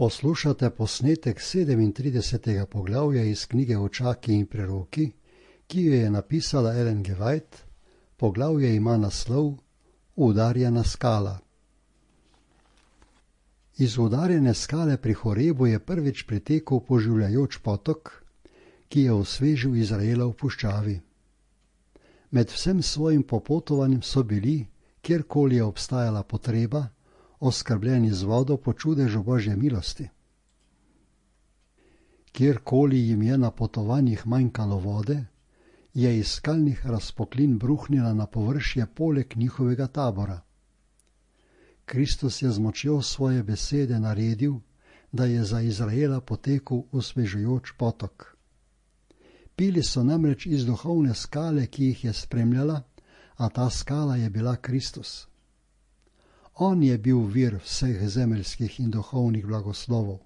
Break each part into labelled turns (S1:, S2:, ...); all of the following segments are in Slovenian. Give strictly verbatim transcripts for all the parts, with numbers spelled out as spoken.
S1: Poslušate posnetek sedemintridesetega poglavja iz knjige Očaki in preroki, ki jo je napisala Ellen G. White. Poglavje ima naslov Udarjena skala. Iz udarjene skale pri Horebu je prvič pritekel poživljajoč potok, ki je osvežil Izraela v puščavi. Med vsem svojim popotovanjem so bili, kjerkoli je obstajala potreba, oskrbljeni z vodo po čudežu Božje milosti. Kjerkoli jim je na potovanjih manjkalo vode, je iz skalnih razpoklin bruhnila na površje poleg njihovega tabora. Kristus je z močjo svoje besede naredil, da je za Izraela potekel osvežujoč potok. Pili so namreč iz duhovne skale, ki jih je spremljala, a ta skala je bila Kristus. On je bil vir vseh zemeljskih in duhovnih blagoslovov.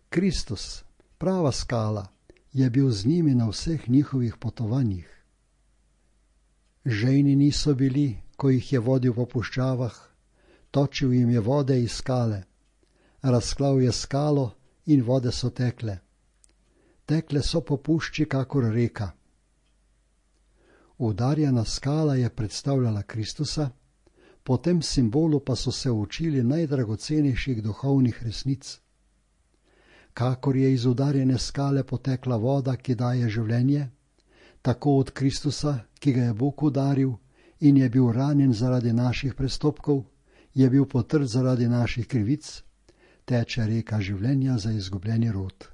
S1: Kristus, prava skala, je bil z njimi na vseh njihovih potovanjih. Žejni niso bili, ko jih je vodil po puščavah, točil jim je vode iz skale, razklal je skalo in vode so tekle. Tekle so po pušči kakor reka. Udarjena skala je predstavljala Kristusa, po tem simbolu pa so se učili najdragocenejših duhovnih resnic. Kakor je iz udarjene skale potekla voda, ki daje življenje, tako od Kristusa, ki ga je Bog udaril in je bil ranjen zaradi naših prestopkov, je bil potrt zaradi naših krivic, teče reka življenja za izgubljeni rod.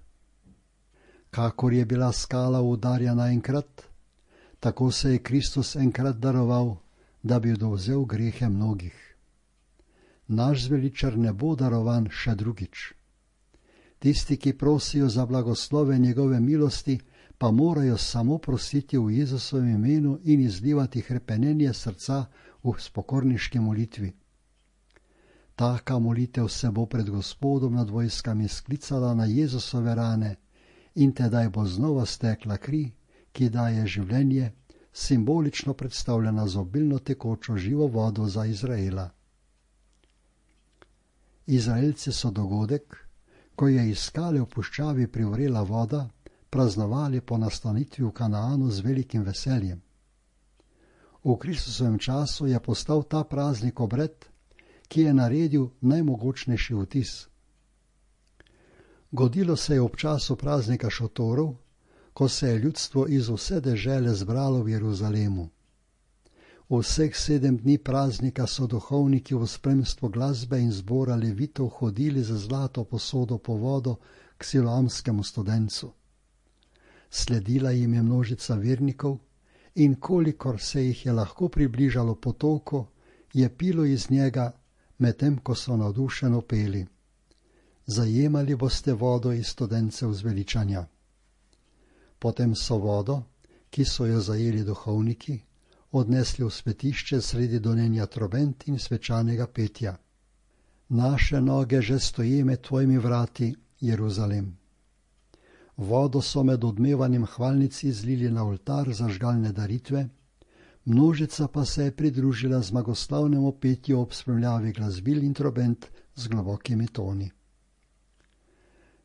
S1: Kakor je bila skala udarjena enkrat, tako se je Kristus enkrat daroval, da bi dovzel grehe mnogih. Naš zveličar ne bo darovan še drugič. Tisti, ki prosijo za blagoslove njegove milosti, pa morajo samo prositi v Jezusovem imenu in izlivati hrepenenje srca v spokorniški molitvi. Taka molitev se bo pred Gospodom nad vojskami sklicala na Jezusove rane in tedaj bo znova stekla kri, ki daje življenje, simbolično predstavljena z obilno tekočo živo vodo za Izraela. Izraelci so dogodek, ko je iz skale v puščavi privrela voda, praznovali po nastanitvi v Kanaanu z velikim veseljem. V Kristusovem času je postal ta praznik obred, ki je naredil najmogočnejši vtis. Godilo se je ob času praznika šotorov, ko se je ljudstvo iz vse dežele zbralo v Jeruzalemu. Vseh sedem dni praznika so duhovniki v spremstvu glasbe in zbora levitov hodili za zlato posodo po vodo k siloamskemu studencu. Sledila jim je množica vernikov in kolikor se jih je lahko približalo potoku, je pilo iz njega, medtem ko so navdušeno peli: Zajemali boste vodo iz studencev zveličanja. Potem so vodo, ki so jo zajeli duhovniki, odnesli v svetišče sredi donenja trobent in svečanega petja. Naše noge že stoje med tvojimi vrati, Jeruzalem. Vodo so med odmevanjem hvalnic izlili na oltar za žgalne daritve, množica pa se je pridružila zmagoslavnemu petju ob spremljavi glasbil in trobent z globokimi toni.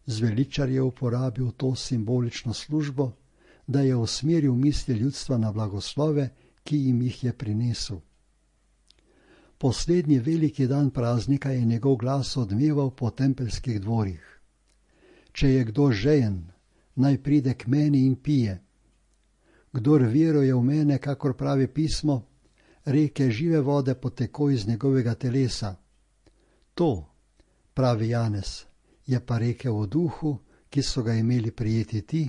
S1: Zveličar je uporabil to simbolično službo, da je usmeril misli ljudstva na blagoslove, ki jim jih je prinesel. Poslednji veliki dan praznika je njegov glas odmeval po tempeljskih dvorih. Če je kdo žejen, naj pride k meni in pije. Kdor veruje v mene, kakor pravi pismo, reke žive vode poteko iz njegovega telesa. To, pravi Janez, je pa rekel o duhu, ki so ga imeli prijeti ti,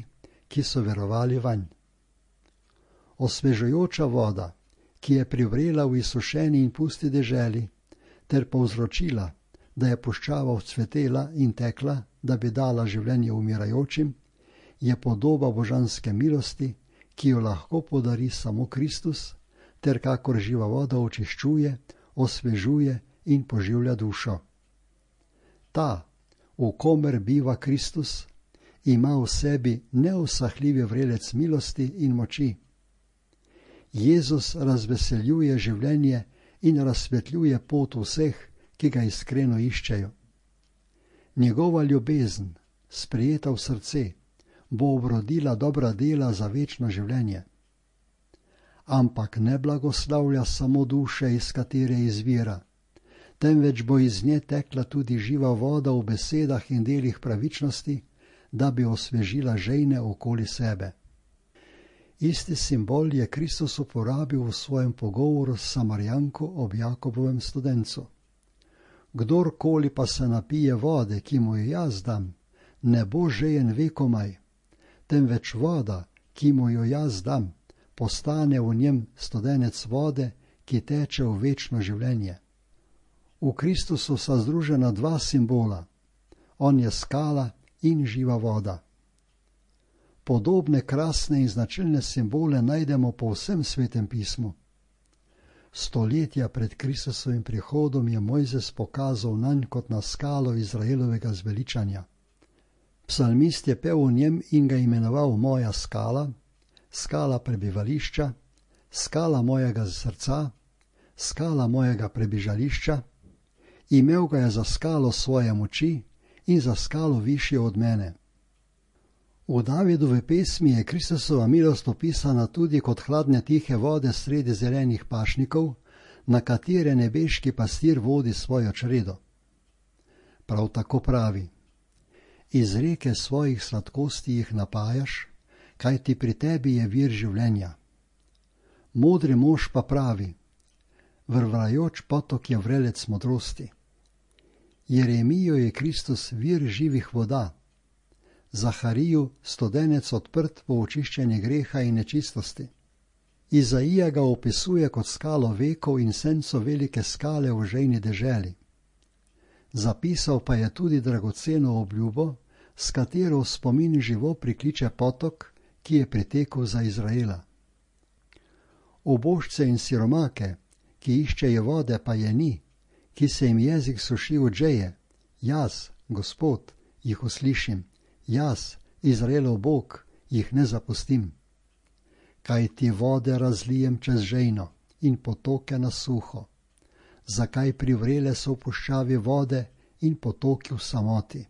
S1: ki so verovali vanj. Osvežujoča voda, ki je privrela v izsušeni in pusti deželi, ter povzročila, da je puščava vzcvetela in tekla, da bi dala življenje umirajočim, je podoba božanske milosti, ki jo lahko podari samo Kristus, ter kakor živa voda očiščuje, osvežuje in poživlja dušo. Ta, v komer biva Kristus, ima v sebi neusahljivi vrelec milosti in moči. Jezus razveseljuje življenje in razsvetljuje pot vseh, ki ga iskreno iščejo. Njegova ljubezen, sprejeta v srce, bo obrodila dobra dela za večno življenje. Ampak ne blagoslavlja samo duše, iz katere izvira, temveč bo iz nje tekla tudi živa voda v besedah in delih pravičnosti, da bi osvežila žejne okoli sebe. Isti simbol je Kristus uporabil v svojem pogovoru s Samarijanko ob Jakobovem studencu. Kdorkoli pa se napije vode, ki mu jo jaz dam, ne bo žejen vekomaj, temveč voda, ki mu jo jaz dam, postane v njem studenec vode, ki teče v večno življenje. V Kristusu sta združena dva simbola. On je skala in živa voda. Podobne krasne in značilne simbole najdemo po vsem Svetem pismu. Stoletja pred Kristusovim prihodom je Mojzes pokazal nanj kot na skalo Izraelovega zveličanja. Psalmist je pel o njem in ga imenoval moja skala, skala prebivališča, skala mojega srca, skala mojega prebižališča. Imel ga je za skalo svoje moči in za skalo višjo od mene. V Davidovi pesmi je Kristusova milost opisana tudi kot hladne tihe vode sredi zelenih pašnikov, na katere nebeški pastir vodi svojo čredo. Prav tako pravi: iz reke svojih sladkosti jih napajaš, kajti pri tebi je vir življenja. Modri mož pa pravi: vrvrajoč potok je vrelec modrosti. Jeremijo je Kristus vir živih voda, Zahariju studenec odprt po očiščenje greha in nečistosti. Izaija ga opisuje kot skalo vekov in senco velike skale v žejni deželi. Zapisal pa je tudi dragoceno obljubo, s katero v spomin živo prikliče potok, ki je pritekel za Izraela. Ubožce in siromake, ki iščejo vode, pa je ni, ki se jim jezik suši od žeje, jaz, Gospod, jih uslišim, jaz, Izraelov Bog, jih ne zapustim. Kaj ti vode razlijem čez žejno in potoke na suho? Zakaj privrele so v puščavi vode in potoki v samoti?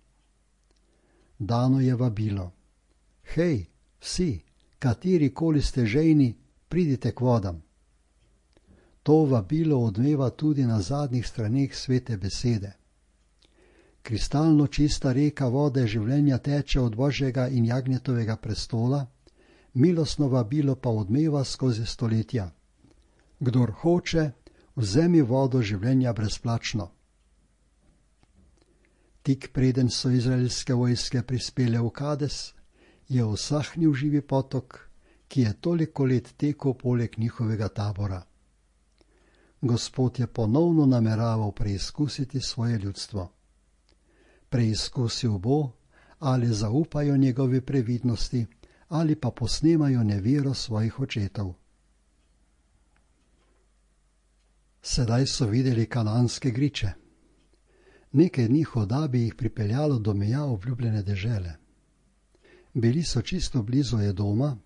S1: Dano je vabilo: hej, vsi, katerikoli ste žejni, pridite k vodam. To vabilo odmeva tudi na zadnjih straneh Svete besede. Kristalno čista reka vode življenja teče od Božjega in Jagnjetovega prestola, milostno vabilo pa odmeva skozi stoletja. Kdor hoče, vzemi vodo življenja brezplačno. Tik preden so izraelske vojske prispele v Kades, je usahnil živi potok, ki je toliko let tekel poleg njihovega tabora. Gospod je ponovno nameraval preizkusiti svoje ljudstvo. Preizkusil bo, ali zaupajo njegovi previdnosti, ali pa posnemajo nevero svojih očetov. Sedaj so videli kananske griče. Nekaj dni hoda bi jih pripeljalo do meja obljubljene dežele. Bili so čisto blizu Edoma,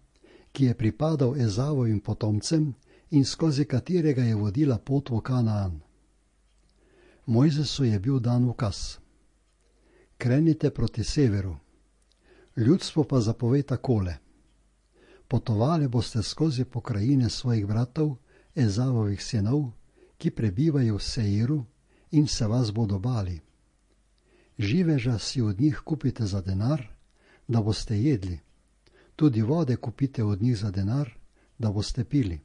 S1: ki je pripadal Ezavovim potomcem in skozi katerega je vodila pot v Kanaan. Mojzesu je bil dan ukaz: krenite proti severu. Ljudstvo pa zapove takole: potovali boste skozi pokrajine svojih bratov, Ezavovih sinov, ki prebivajo v Seiru in se vas bodo bali. Živeža si od njih kupite za denar, da boste jedli. Tudi vode kupite od njih za denar, da boste pili.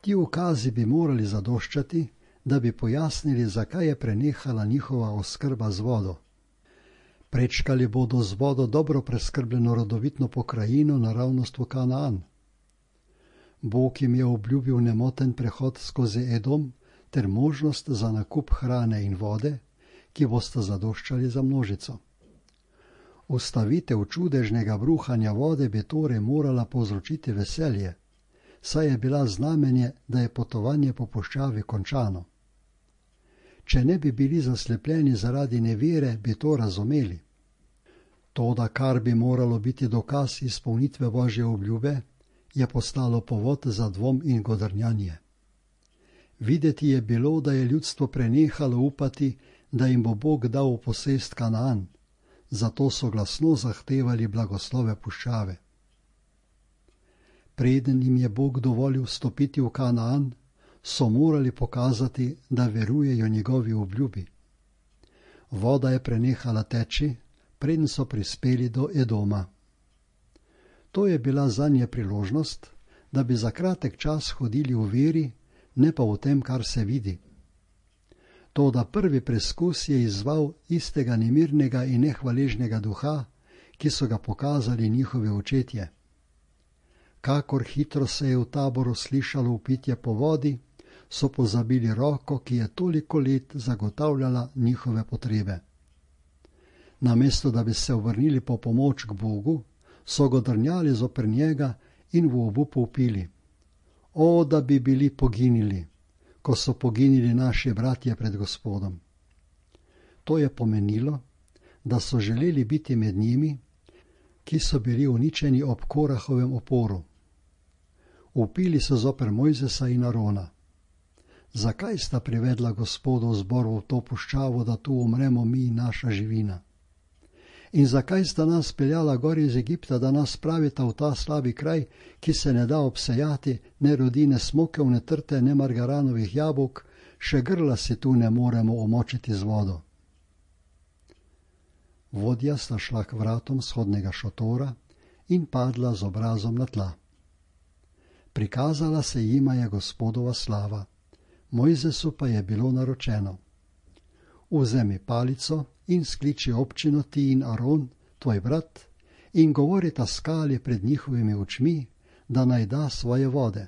S1: Ti ukazi bi morali zadoščati, da bi pojasnili, zakaj je prenehala njihova oskrba z vodo. Prečkali bodo z vodo dobro preskrbljeno rodovitno pokrajino naravnost v Kanaan. Bog jim je obljubil nemoten prehod skozi Edom ter možnost za nakup hrane in vode, ki bosta zadoščali za množico. Ustavitev čudežnega bruhanja vode bi torej morala povzročiti veselje, saj je bila znamenje, da je potovanje po puščavi končano. Če ne bi bili zaslepljeni zaradi nevere, bi to razumeli. Toda, kar bi moralo biti dokaz izpolnitve Božje obljube, je postalo povod za dvom in godrnjanje. Videti je bilo, da je ljudstvo prenehalo upati, da jim bo Bog dal v posest Kanaan, zato so glasno zahtevali blagoslove puščave. Preden jim je Bog dovolil vstopiti v Kanaan, so morali pokazati, da verujejo njegovi obljubi. Voda je prenehala teči, preden so prispeli do Edoma. To je bila zanje priložnost, da bi za kratek čas hodili v veri, ne pa v tem, kar se vidi. Toda prvi preskus je izzval istega nemirnega in nehvaležnega duha, ki so ga pokazali njihovi očetje. Kakor hitro se je v taboru slišalo vpitje po vodi, so pozabili roko, ki je toliko let zagotavljala njihove potrebe. Namesto da bi se obrnili po pomoč k Bogu, so godrnjali zoper njega in v obupu vpili: O, da bi bili poginili, ko so poginili naši bratje pred Gospodom. To je pomenilo, da so želeli biti med njimi, ki so bili uničeni ob Korahovem oporu. Vpili so zoper Mojzesa in Arona: Zakaj sta privedla Gospodov zbor v to puščavo, da tu umremo mi in naša živina? In zakaj sta nas peljala gor iz Egipta, da nas spravita v ta slabi kraj, ki se ne da obsejati, ne rodi ne smokev, ne trte, ne margaranovih jabolk, še grla si tu ne moremo omočiti z vodo? Vodja sta šla k vratom shodnega šotora in padla z obrazom na tla. Prikazala se jima je Gospodova slava, Mojzesu pa je bilo naročeno: Vzemi palico in skliči občino ti in Aron, tvoj brat, in govorita skali pred njihovimi očmi, da naj da svoje vode.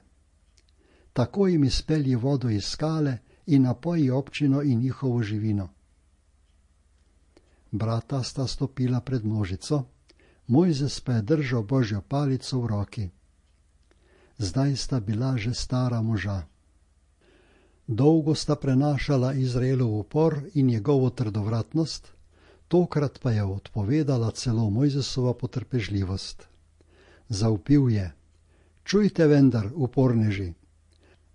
S1: Tako jim izpelji vodo iz skale in napoji občino in njihovo živino. Brata sta stopila pred množico, Mojzes pa je držal Božjo palico v roki. Zdaj sta bila že stara moža. Dolgo sta prenašala Izraelov upor in njegovo trdovratnost, tokrat pa je odpovedala celo Mojzesova potrpežljivost. Zavpil je: Čujte vendar, uporneži,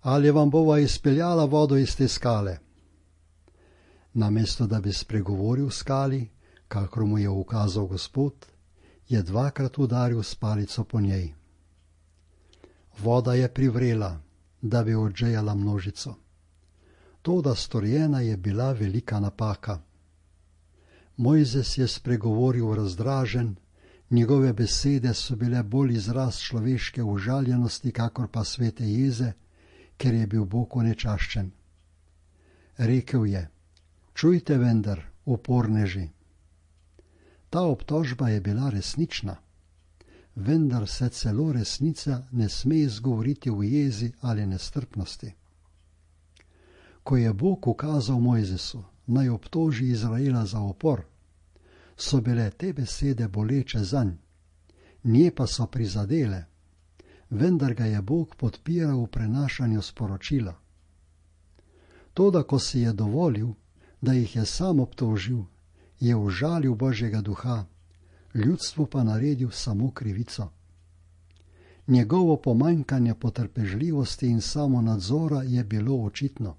S1: ali vam bova izpeljala vodo iz te skale? Namesto da bi spregovoril skali, kakor mu je ukazal Gospod, je dvakrat udaril s palico po njej. Voda je privrela, da bi odžejala množico. Toda storjena je bila velika napaka. Mojzes je spregovoril razdražen, njegove besede so bile bolj izraz človeške užaljenosti, kakor pa svete jeze, ker je bil Bog onečaščen. Rekel je: Čujte vendar, uporneži. Ta obtožba je bila resnična, vendar se celo resnica ne sme izgovoriti v jezi ali nestrpnosti. Ko je Bog ukazal Mojzesu, naj obtoži Izraela za upor, so bile te besede boleče zanj, nje pa so prizadele, vendar ga je Bog podpiral v prenašanju sporočila. Toda ko si je dovolil, da jih je sam obtožil, je užalil Božjega duha, ljudstvu pa naredil samo krivico. Njegovo pomanjkanje potrpežljivosti in samonadzora je bilo očitno.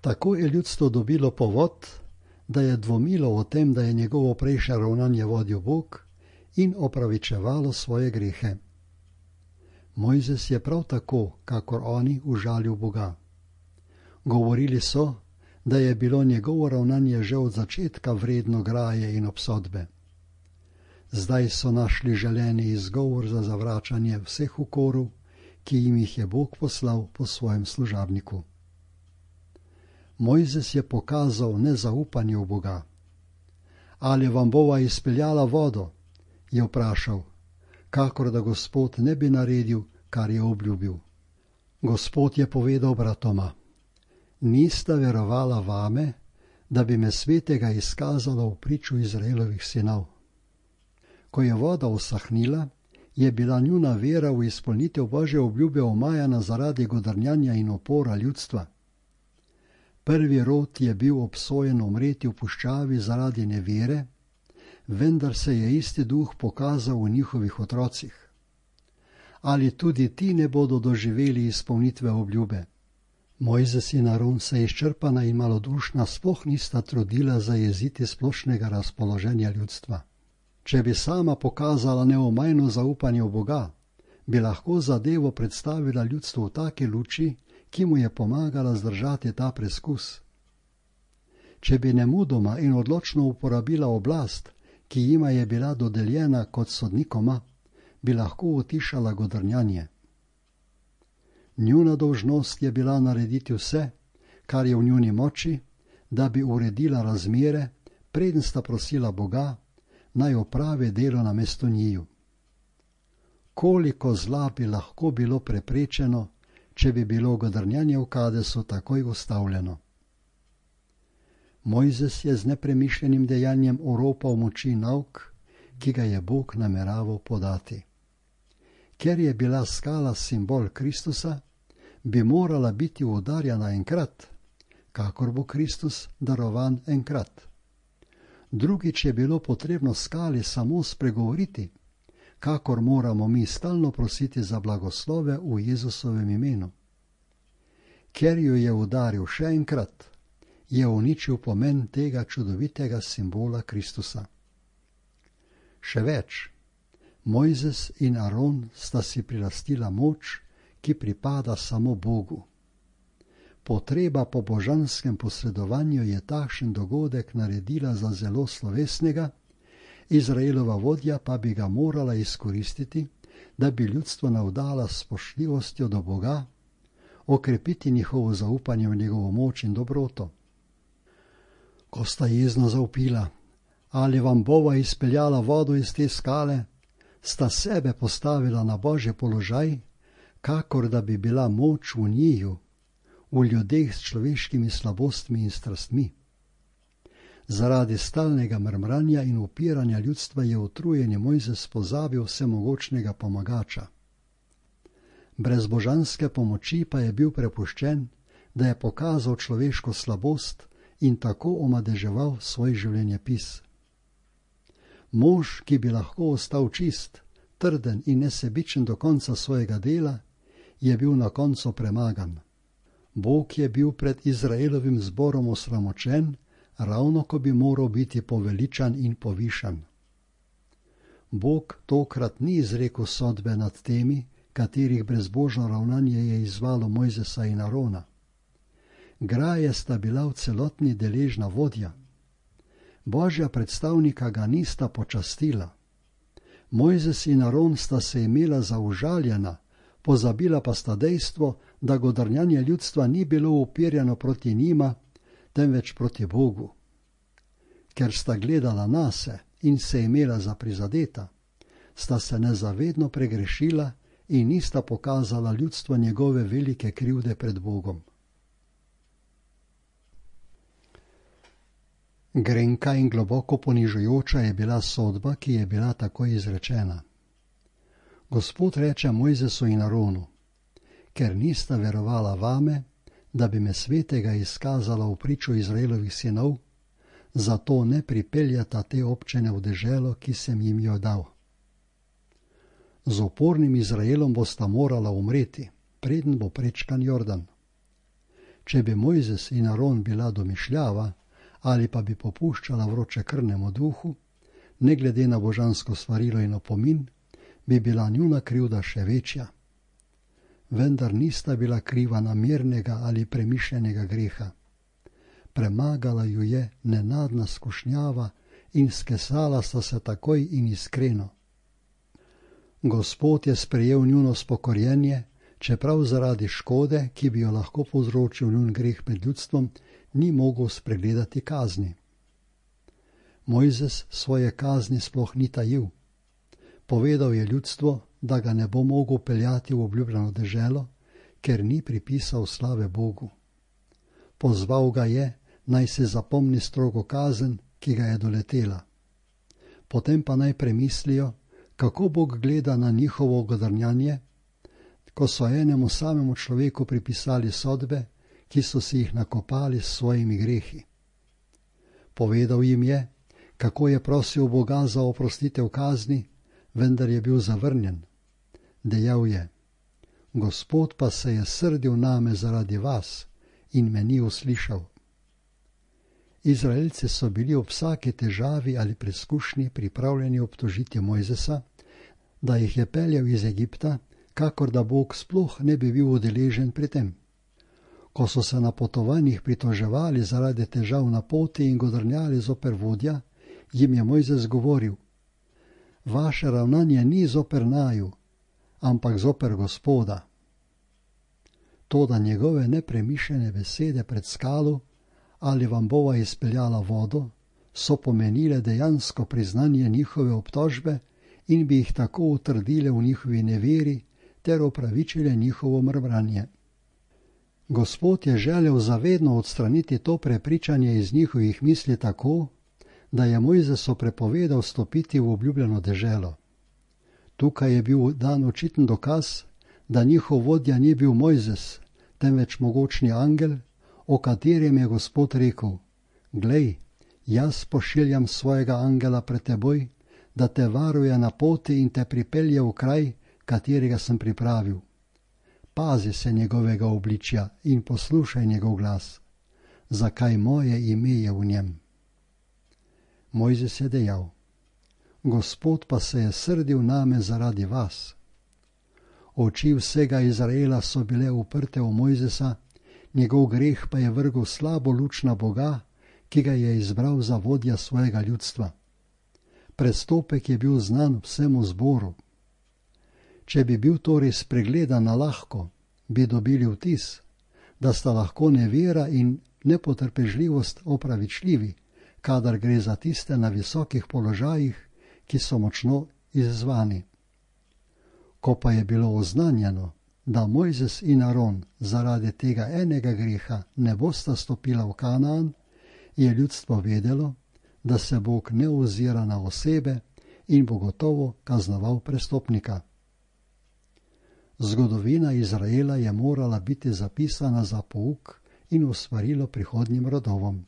S1: Tako je ljudstvo dobilo povod, da je dvomilo o tem, da je njegovo prejšnje ravnanje vodil Bog, in opravičevalo svoje grehe. Mojzes je prav tako, kakor oni, užalil Boga. Govorili so, da je bilo njegovo ravnanje že od začetka vredno graje in obsodbe. Zdaj so našli želeni izgovor za zavračanje vseh ukorov, ki jim jih je Bog poslal po svojem služabniku. Mojzes je pokazal nezaupanje v Boga. Ali vam bova izpeljala vodo? Je vprašal, kakor da Gospod ne bi naredil, kar je obljubil. Gospod je povedal bratoma: Nista verovala vame, da bi me svetega izkazalo v priču Izraelovih sinov. Ko je voda usahnila, je bila njuna vera v izpolnitev Božje obljube omajana zaradi godrnjanja in upora ljudstva. Prvi rod je bil obsojen umreti v puščavi zaradi nevere, vendar se je isti duh pokazal v njihovih otrocih. Ali tudi ti ne bodo doživeli izpolnitve obljube? Mojzes in Aron se izčrpana in malodušna sploh nista trudila zajeziti splošnega razpoloženja ljudstva. Če bi sama pokazala neomajno zaupanje v Boga, bi lahko zadevo predstavila ljudstvu v taki luči, ki mu je pomagala zdržati ta preskus. Če bi nemudoma in odločno uporabila oblast, ki jima je bila dodeljena kot sodnikoma, bi lahko utišala godrnjanje. Njuna dolžnost je bila narediti vse, kar je v njuni moči, da bi uredila razmere, preden sta prosila Boga, naj opravi delo namesto njiju. Koliko zla bi lahko bilo preprečeno, če bi bilo godrnjanje v Kadesu takoj ustavljeno. Mojzes je z nepremišljenim dejanjem oropal moči nauk, ki ga je Bog nameraval podati. Ker je bila skala simbol Kristusa, bi morala biti udarjena enkrat, kakor bo Kristus darovan enkrat. Drugič je bilo potrebno skali samo spregovoriti, kakor moramo mi stalno prositi za blagoslove v Jezusovem imenu. Ker jo je udaril še enkrat, je uničil pomen tega čudovitega simbola Kristusa. Še več, Mojzes in Aron sta si prilastila moč, ki pripada samo Bogu. Potreba po božanskem posredovanju je takšen dogodek naredila za zelo slovesnega, Izraelova vodja pa bi ga morala izkoristiti, da bi ljudstvo navdala s spoštljivostjo do Boga, okrepiti njihovo zaupanje v njegovo moč in dobroto. Ko sta jezno zavpila, ali vam bova izpeljala vodo iz te skale, sta sebe postavila na božji položaj, kakor da bi bila moč v njiju, v ljudeh s človeškimi slabostmi in strastmi. Zaradi stalnega mrmranja in upiranja ljudstva je utrujeni Mojzes pozabil vsemogočnega pomagača. Brez božanske pomoči pa je bil prepuščen, da je pokazal človeško slabost in tako omadeževal svoj življenjepis. Mož, ki bi lahko ostal čist, trden in nesebičen do konca svojega dela, je bil na koncu premagan. Bog je bil pred Izraelovim zborom osramočen, ravno ko bi moral biti poveličan in povišan. Bog tokrat ni izrekel sodbe nad temi, katerih brezbožno ravnanje je izzvalo Mojzesa in Arona. Graje sta bila v celotni deležna vodja. Božja predstavnika ga nista počastila. Mojzes in Aron sta se imela za užaljena, pozabila pa sta dejstvo, da godrnjanje ljudstva ni bilo upirjeno proti njima, temveč proti Bogu. Ker sta gledala nase in se imela za prizadeta, sta se nezavedno pregrešila in nista pokazala ljudstva njegove velike krivde pred Bogom. Grenka in globoko ponižujoča je bila sodba, ki je bila tako izrečena. Gospod reče Mojzesu in Aronu, ker nista verovala vame, da bi me svetega izkazala v pričo Izraelovih sinov, zato ne pripeljata te občine v deželo, ki sem jim jo dal. Z upornim Izraelom bosta morala umreti, preden bo prečkan Jordan. Če bi Mojzes in Aron bila domišljava, ali pa bi popuščala vročekrvnemu duhu, ne glede na božansko svarilo in opomin, bi bila njuna krivda še večja. Vendar nista bila kriva namernega ali premišljenega greha. Premagala ju je nenadna skušnjava in skesala sta se takoj in iskreno. Gospod je sprejel njuno spokorjenje, čeprav zaradi škode, ki bi jo lahko povzročil njun greh med ljudstvom, ni mogel spregledati kazni. Mojzes svoje kazni sploh ni tajil. Povedal je ljudstvo, da ga ne bo mogel peljati v obljubljeno deželo, ker ni pripisal slave Bogu. Pozval ga je, naj se zapomni strogo kazen, ki ga je doletela. Potem pa naj premislijo, kako Bog gleda na njihovo godrnjanje, ko so enemu samemu človeku pripisali sodbe, ki so si jih nakopali s svojimi grehi. Povedal jim je, kako je prosil Boga za oprostitev kazni, vendar je bil zavrnjen. Dejal je, Gospod pa se je srdil name zaradi vas, in me ni uslišal. Izraelci so bili ob vsaki težavi ali preizkušnji pripravljeni obtožiti Mojzesa, da jih je peljal iz Egipta, kakor da Bog sploh ne bi bil udeležen pri tem. Ko so se na potovanjih pritoževali zaradi težav na poti in godrnjali zoper vodja, jim je Mojzes govoril: vaše ravnanje ni zoper naju, ampak zoper Gospoda. Toda njegove nepremišljene besede pred skalo, ali vam bova izpeljala vodo, so pomenile dejansko priznanje njihove obtožbe in bi jih tako utrdile v njihovi neveri ter opravičile njihovo mrmranje. Gospod je želel zavedno odstraniti to prepričanje iz njihovih misli tako, da je Mojzesu prepovedal stopiti v obljubljeno deželo. Tukaj je bil dan očiten dokaz, da njihov vodja ni bil Mojzes, temveč mogočni angel, o katerem je Gospod rekel: glej, jaz pošiljam svojega angela pred teboj, da te varuje na poti in te pripelje v kraj, katerega sem pripravil. Pazi se njegovega obličja in poslušaj njegov glas, zakaj moje ime je v njem. Mojzes je dejal: Gospod pa se je srdil name zaradi vas. Oči vsega Izraela so bile uprte v Mojzesa, njegov greh pa je vrgel slabo luč na Boga, ki ga je izbral za vodja svojega ljudstva. Prestopek je bil znan vsemu zboru. Če bi bil torej spregledan na lahko, bi dobili vtis, da sta lahko nevera in nepotrpežljivost opravičljivi, kadar gre za tiste na visokih položajih, ki so močno izzvani. Ko pa je bilo oznanjeno, da Mojzes in Aron zaradi tega enega greha ne bosta stopila v Kanaan, je ljudstvo vedelo, da se Bog ne ozira na osebe in bo gotovo kaznoval prestopnika. Zgodovina Izraela je morala biti zapisana za pouk in usvarilo prihodnjim rodovom.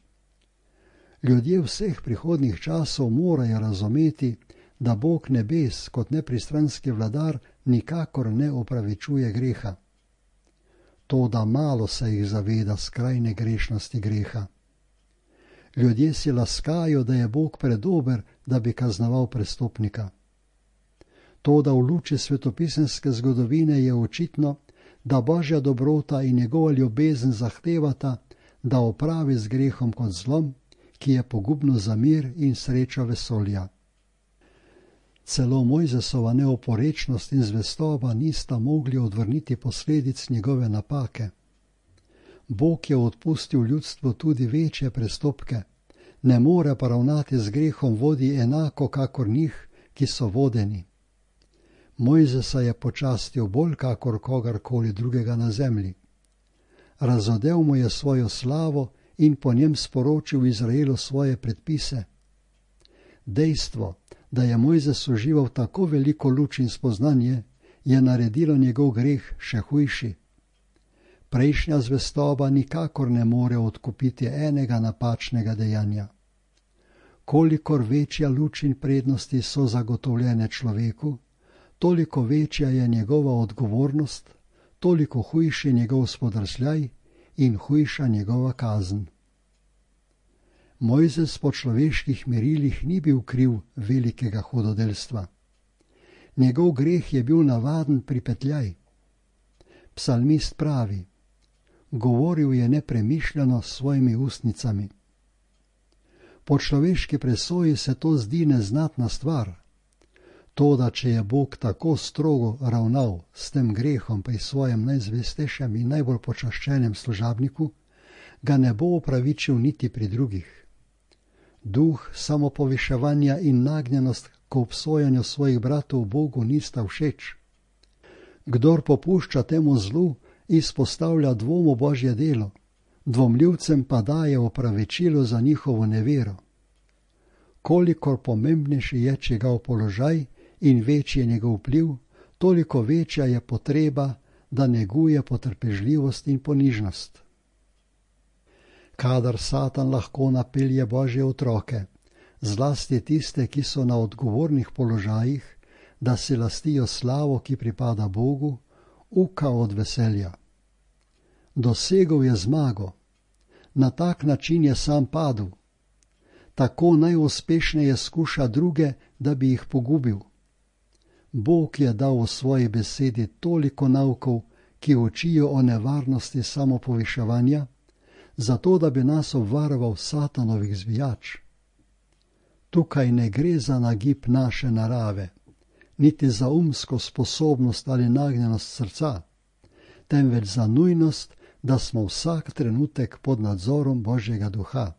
S1: Ljudje vseh prihodnjih časov morajo razumeti, da Bog nebes kot nepristranski vladar nikakor ne opravičuje greha. To, da malo se jih zaveda skrajne grešnosti greha. Ljudje si laskajo, da je Bog predober, da bi kaznoval prestopnika. To, da v luči svetopisemske zgodovine je očitno, da Božja dobrota in njegova ljubezen zahtevata, da opravi z grehom kot zlom, ki je pogubno za mir in srečo vesolja. Celo Mojzesova neoporečnost in zvestoba nista mogli odvrniti posledic njegove napake. Bog je odpustil ljudstvu tudi večje prestopke, ne more pa ravnati z grehom vodi enako kakor njih, ki so vodeni. Mojzesa je počastil bolj kakor kogarkoli drugega na zemlji. Razodel mu je svojo slavo in po njem sporočil Izraelu svoje predpise. Dejstvo, da je Mojzes užival tako veliko luč in spoznanje, je naredilo njegov greh še hujši. Prejšnja zvestoba nikakor ne more odkupiti enega napačnega dejanja. Kolikor večja luč in prednosti so zagotovljene človeku, toliko večja je njegova odgovornost, toliko hujši njegov spodrsljaj in hujša njegova kazen. Mojzes po človeških merilih ni bil kriv velikega hudodelstva. Njegov greh je bil navaden pripetljaj. Psalmist pravi: govoril je nepremišljeno s svojimi ustnicami. Po človeški presoji se to zdi neznatna stvar. Toda, če je Bog tako strogo ravnal s tem grehom pri svojem najzvestejšem in najbolj počaščenem služabniku, ga ne bo opravičil niti pri drugih. Duh samopoviševanja in nagnjenost k obsojanju svojih bratov Bogu nista všeč. Kdor popušča temu zlu, izpostavlja dvom v Božje delo, dvomljivcem pa daje opravičilo za njihovo nevero. Kolikor pomembnejši je čigav položaj in večji je njegov vpliv, toliko večja je potreba, da neguje potrpežljivost in ponižnost. Kadar Satan lahko napelje Božje otroke, zlasti tiste, ki so na odgovornih položajih, da si lastijo slavo, ki pripada Bogu, uka od veselja. Dosegel je zmago, Na tak način je sam padel. Tako najuspešneje skuša druge, da bi jih pogubil. Bog je dal v svoji besedi toliko naukov, ki učijo o nevarnosti samopoviševanja, zato da bi nas obvaroval satanovih zvijač. Tukaj ne gre za nagib naše narave, niti za umsko sposobnost ali nagnjenost srca, temveč za nujnost, da smo vsak trenutek pod nadzorom Božjega duha.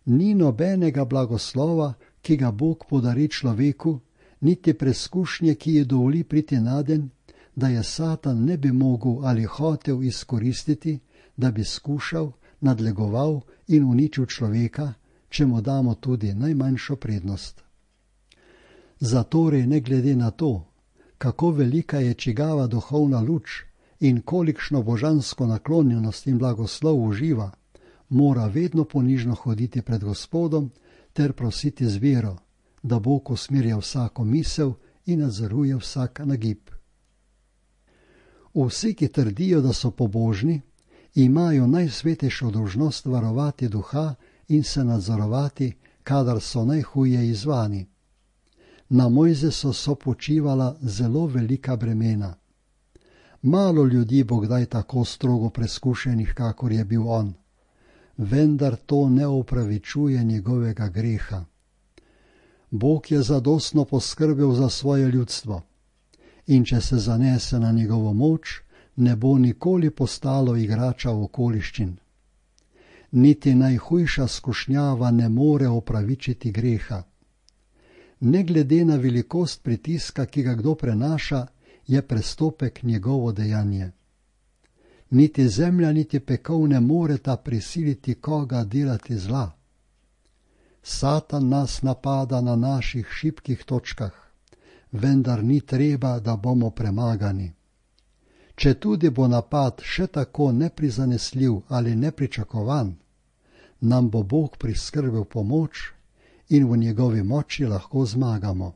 S1: Ni nobenega blagoslova, ki ga Bog podari človeku, niti preskušnje, ki ji dovoli priti naden, da je Satan ne bi mogel ali hotel izkoristiti, da bi skušal, nadlegoval in uničil človeka, če mu damo tudi najmanjšo prednost. Zatorej ne glede na to, kako velika je čigava duhovna luč in kolikšno božansko naklonjenost in blagoslov uživa, mora vedno ponižno hoditi pred Gospodom ter prositi z vero, da Bog usmerja vsako misel in nadzoruje vsak nagib. Vsi, ki trdijo, da so pobožni, imajo najsvetejšo dolžnost varovati duha in se nadzorovati, kadar so najhuje izzvani. Na Mojzesu so počivala zelo velika bremena. Malo ljudi bo kdaj tako strogo preskušenih, kakor je bil on, vendar to ne opravičuje njegovega greha. Bog je zadostno poskrbel za svoje ljudstvo in če se zanese na njegovo moč, ne bo nikoli postalo igrača okoliščin. Niti najhujša skušnjava ne more opravičiti greha. Ne glede na velikost pritiska, ki ga kdo prenaša, je prestopek njegovo dejanje. Niti zemlja, niti pekel ne moreta prisiliti koga delati zla. Satan nas napada na naših šibkih točkah, vendar ni treba, da bomo premagani. Če tudi bo napad še tako neprizanesljiv ali nepričakovan, nam bo Bog priskrbel pomoč in v njegovi moči lahko zmagamo.